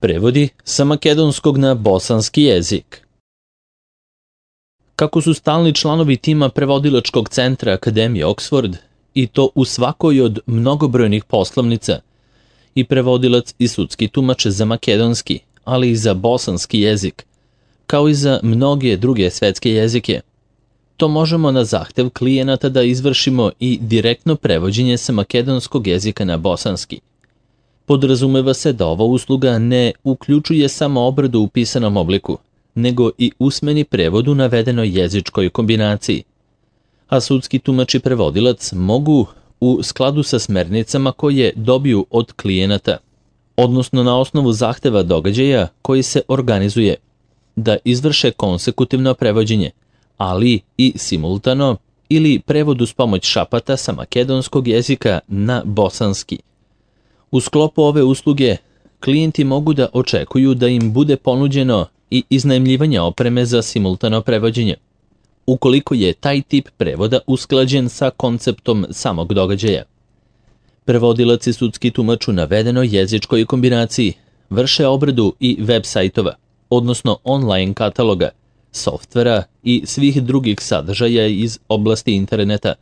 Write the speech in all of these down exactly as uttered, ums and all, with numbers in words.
Prevodi sa makedonskog na bosanski jezik. Kako su stalni članovi tima prevodilačkog centra Akademije Oxford, i to u svakoj od mnogobrojnih poslovnica, i prevodilac i sudski tumač za makedonski, ali i za bosanski jezik, kao i za mnoge druge svetske jezike, to možemo na zahtev klijenata da izvršimo i direktno prevođenje sa makedonskog jezika na bosanski. Podrazumeva se da ova usluga ne uključuje samo obradu u pisanom obliku, nego i usmeni prevod u navedenoj jezičkoj kombinaciji. A sudski tumač i prevodilac mogu, u skladu sa smernicama koje dobiju od klijenata, odnosno na osnovu zahteva događaja koji se organizuje, da izvrše konsekutivno prevođenje, ali i simultano ili prevod uz pomoć šapata sa makedonskog jezika na bosanski. U sklopu ove usluge, klijenti mogu da očekuju da im bude ponuđeno i iznajmljivanje opreme za simultano prevođenje, ukoliko je taj tip prevoda usklađen sa konceptom samog događaja. Prevodilac i sudski tumač u navedenoj jezičkoj kombinaciji vrše obradu i web sajtova, odnosno online kataloga, softvera i svih drugih sadržaja iz oblasti interneta,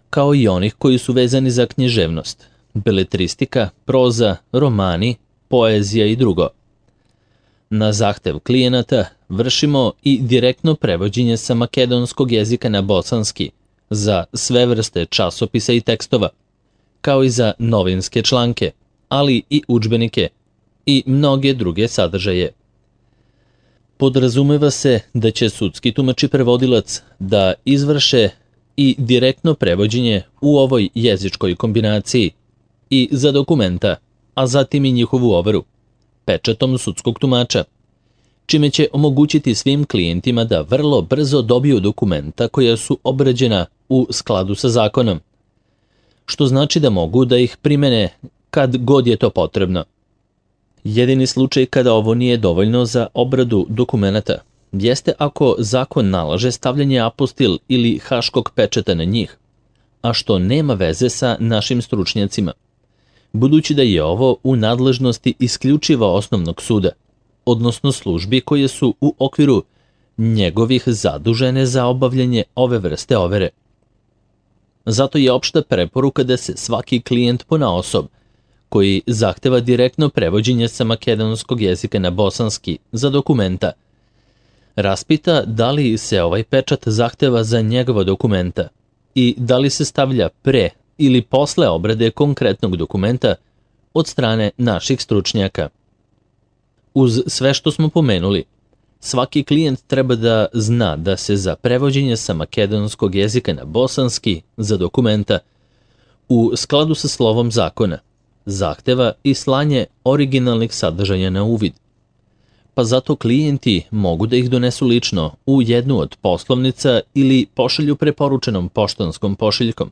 kao i onih koji su vezani za književnost, beletristika, proza, romani, poezija i drugo. Na zahtev klijenata vršimo i direktno prevođenje sa makedonskog jezika na bosanski za sve vrste časopisa i tekstova, kao i za novinske članke, ali i udžbenike i mnoge druge sadržaje. Podrazumeva se da će sudski tumač i prevodilac da izvrše i direktno prevođenje u ovoj jezičkoj kombinaciji i za dokumenta, a zatim i njihovu overu, pečatom sudskog tumača, čime će omogućiti svim klijentima da vrlo brzo dobiju dokumenta koja su obrađena u skladu sa zakonom, što znači da mogu da ih primene kad god je to potrebno. Jedini slučaj kada ovo nije dovoljno za obradu dokumenata jeste ako zakon nalaže stavljanje apostil ili haškog pečata na njih, a što nema veze sa našim stručnjacima, budući da je ovo u nadležnosti isključivo osnovnog suda, odnosno službi koje su u okviru njegovih zadužene za obavljanje ove vrste overe. Zato je opšta preporuka da se svaki klijent ponaosob, koji zahteva direktno prevođenje sa makedonskog jezika na bosanski za dokumenta, raspita da li se ovaj pečat zahteva za njegova dokumenta i da li se stavlja pre ili posle obrade konkretnog dokumenta od strane naših stručnjaka. Uz sve što smo pomenuli, svaki klijent treba da zna da se za prevođenje sa makedonskog jezika na bosanski za dokumenta, u skladu sa slovom zakona, zahteva i slanje originalnih sadržaja na uvid. Pa zato klijenti mogu da ih donesu lično u jednu od poslovnica ili pošalju preporučenom poštanskom pošiljkom,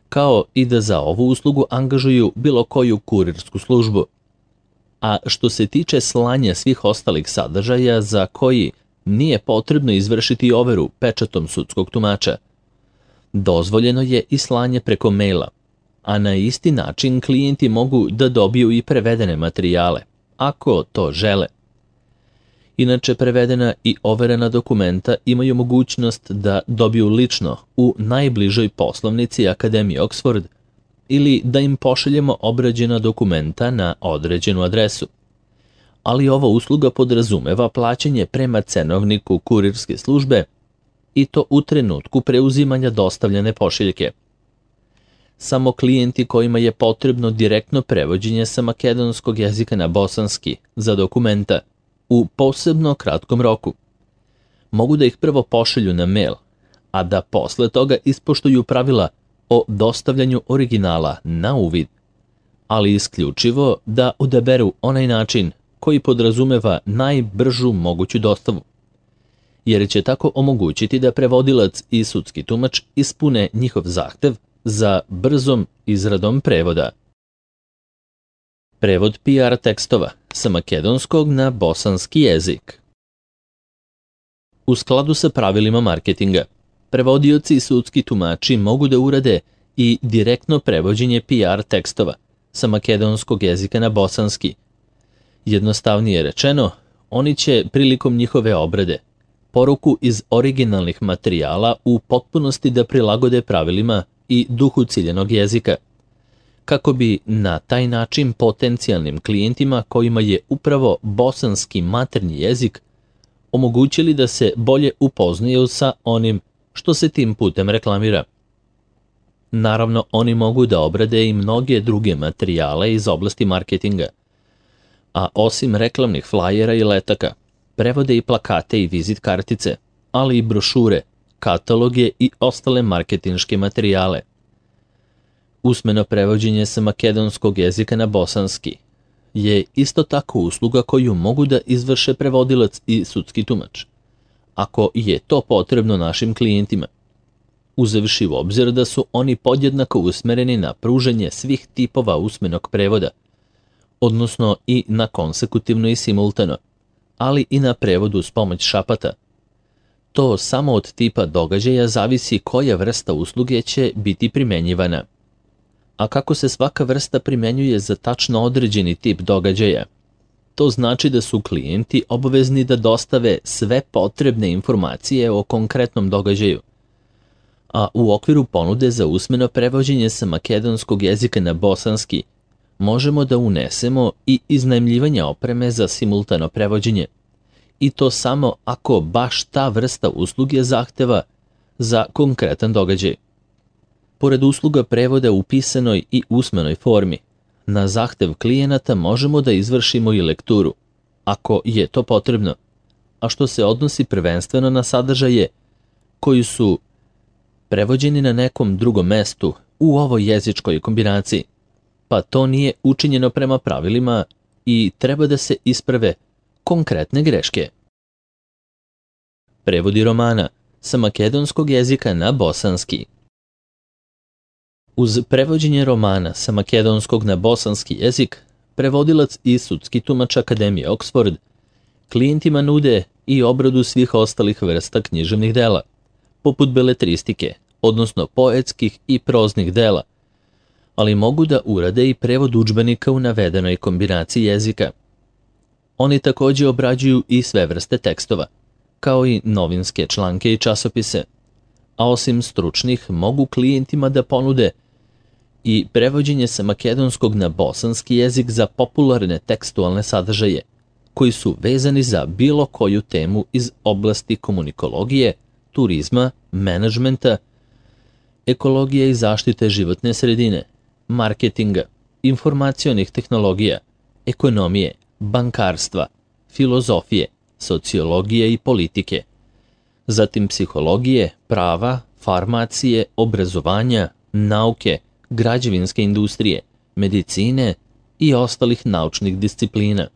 kao i da za ovu uslugu angažuju bilo koju kurirsku službu. A što se tiče slanja svih ostalih sadržaja za koji nije potrebno izvršiti overu pečatom sudskog tumača, dozvoljeno je i slanje preko maila, a na isti način klijenti mogu da dobiju i prevedene materijale, ako to žele. Inače, prevedena i overena dokumenta imaju mogućnost da dobiju lično u najbližoj poslovnici Akademije Oxford ili da im pošaljemo obrađena dokumenta na određenu adresu. Ali ova usluga podrazumeva plaćanje prema cenovniku kurirske službe i to u trenutku preuzimanja dostavljene pošiljke. Samo klijenti kojima je potrebno direktno prevođenje sa makedonskog jezika na bosanski za dokumenta u posebno kratkom roku mogu da ih prvo pošalju na mail, a da posle toga ispoštuju pravila o dostavljanju originala na uvid, ali isključivo da odaberu onaj način koji podrazumeva najbržu moguću dostavu, jer će tako omogućiti da prevodilac i sudski tumač ispune njihov zahtev za brzom izradom prevoda. Prevod P R tekstova sa makedonskog na bosanski jezik. U skladu sa pravilima marketinga, prevodioci i sudski tumači mogu da urade i direktno prevođenje P R tekstova sa makedonskog jezika na bosanski, Jednostavnije rečeno, oni će prilikom njihove obrade poruku iz originalnih materijala u potpunosti da prilagode pravilima i duhu ciljanog jezika, kako bi na taj način potencijalnim klijentima kojima je upravo bosanski maternji jezik omogućili da se bolje upoznaju sa onim što se tim putem reklamira. Naravno, oni mogu da obrade i mnoge druge materijale iz oblasti marketinga, a osim reklamnih flajera i letaka, prevode i plakate i vizit kartice, ali i brošure, kataloge i ostale marketinške materijale. Usmeno prevođenje sa makedonskog jezika na bosanski je isto tako usluga koju mogu da izvrše prevodilac i sudski tumač, ako je to potrebno našim klijentima, uzevši u obzir da su oni podjednako usmereni na pružanje svih tipova usmenog prevoda, odnosno i na konsekutivno i simultano, ali i na prevodu s pomoć šapata. To samo od tipa događaja zavisi koja vrsta usluge će biti primenjivana. A kako se svaka vrsta primenjuje za tačno određeni tip događaja, to znači da su klijenti obavezni da dostave sve potrebne informacije o konkretnom događaju. A u okviru ponude za usmeno prevođenje sa makedonskog jezika na bosanski možemo da unesemo i iznajmljivanje opreme za simultano prevođenje, i to samo ako baš ta vrsta usluge zahteva za konkretan događaj. Pored usluga prevoda u pisanoj i usmenoj formi, na zahtev klijenata možemo da izvršimo i lekturu, ako je to potrebno, a što se odnosi prvenstveno na sadržaje koji su prevođeni na nekom drugom mestu u ovoj jezičkoj kombinaciji, pa to nije učinjeno prema pravilima i treba da se isprave konkretne greške. Prevodi romana sa makedonskog jezika na bosanski. Uz prevođenje romana sa makedonskog na bosanski jezik, prevodilac i sudski tumač Akademije Oxford klijentima nude i obradu svih ostalih vrsta književnih dela, poput beletristike, odnosno poetskih i proznih dela, ali mogu da urade i prevod udžbenika u navedenoj kombinaciji jezika. Oni takođe obrađuju i sve vrste tekstova, kao i novinske članke i časopise, a osim stručnih mogu klijentima da ponude i prevođenje sa makedonskog na bosanski jezik za popularne tekstualne sadržaje, koji su vezani za bilo koju temu iz oblasti komunikologije, turizma, menadžmenta, ekologije i zaštite životne sredine, marketinga, informacionih tehnologija, ekonomije, bankarstva, filozofije, sociologije i politike, zatim psihologije, prava, farmacije, obrazovanja, nauke, građevinske industrije, medicine i ostalih naučnih disciplina.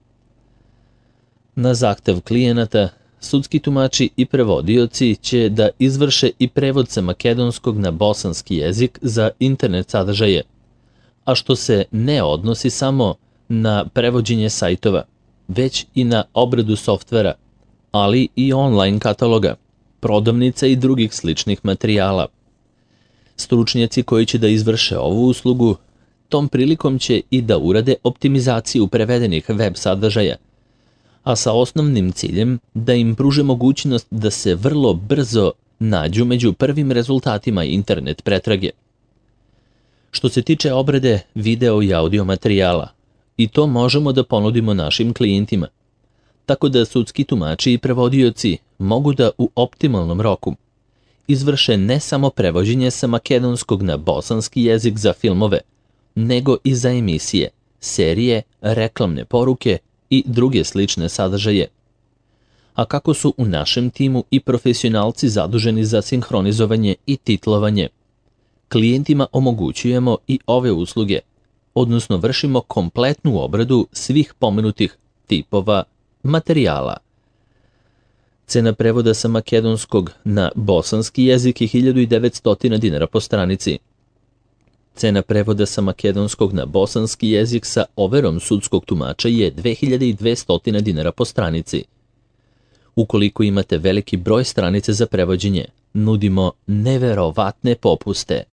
Na zahtev klijenata, sudski tumači i prevodioci će da izvrše i prevod sa makedonskog na bosanski jezik za internet sadržaje, a što se ne odnosi samo na prevođenje sajtova, već i na obradu softvera, ali i online kataloga, prodavnica i drugih sličnih materijala. Stručnjaci koji će da izvrše ovu uslugu, tom prilikom će i da urade optimizaciju prevedenih web sadržaja, a sa osnovnim ciljem da im pruže mogućnost da se vrlo brzo nađu među prvim rezultatima internet pretrage. Što se tiče obrade video i audio materijala, i to možemo da ponudimo našim klijentima, tako da sudski tumači i prevodioci mogu da u optimalnom roku izvrše ne samo prevođenje sa makedonskog na bosanski jezik za filmove, nego i za emisije, serije, reklamne poruke i druge slične sadržaje. A kako su u našem timu i profesionalci zaduženi za sinhronizovanje i titlovanje, klijentima omogućujemo i ove usluge, odnosno vršimo kompletnu obradu svih pomenutih tipova materijala. Cena prevoda sa makedonskog na bosanski jezik je hiljadu devetsto dinara po stranici. Cena prevoda sa makedonskog na bosanski jezik sa overom sudskog tumača je dve hiljade dvesta dinara po stranici. Ukoliko imate veliki broj stranice za prevođenje, nudimo neverovatne popuste.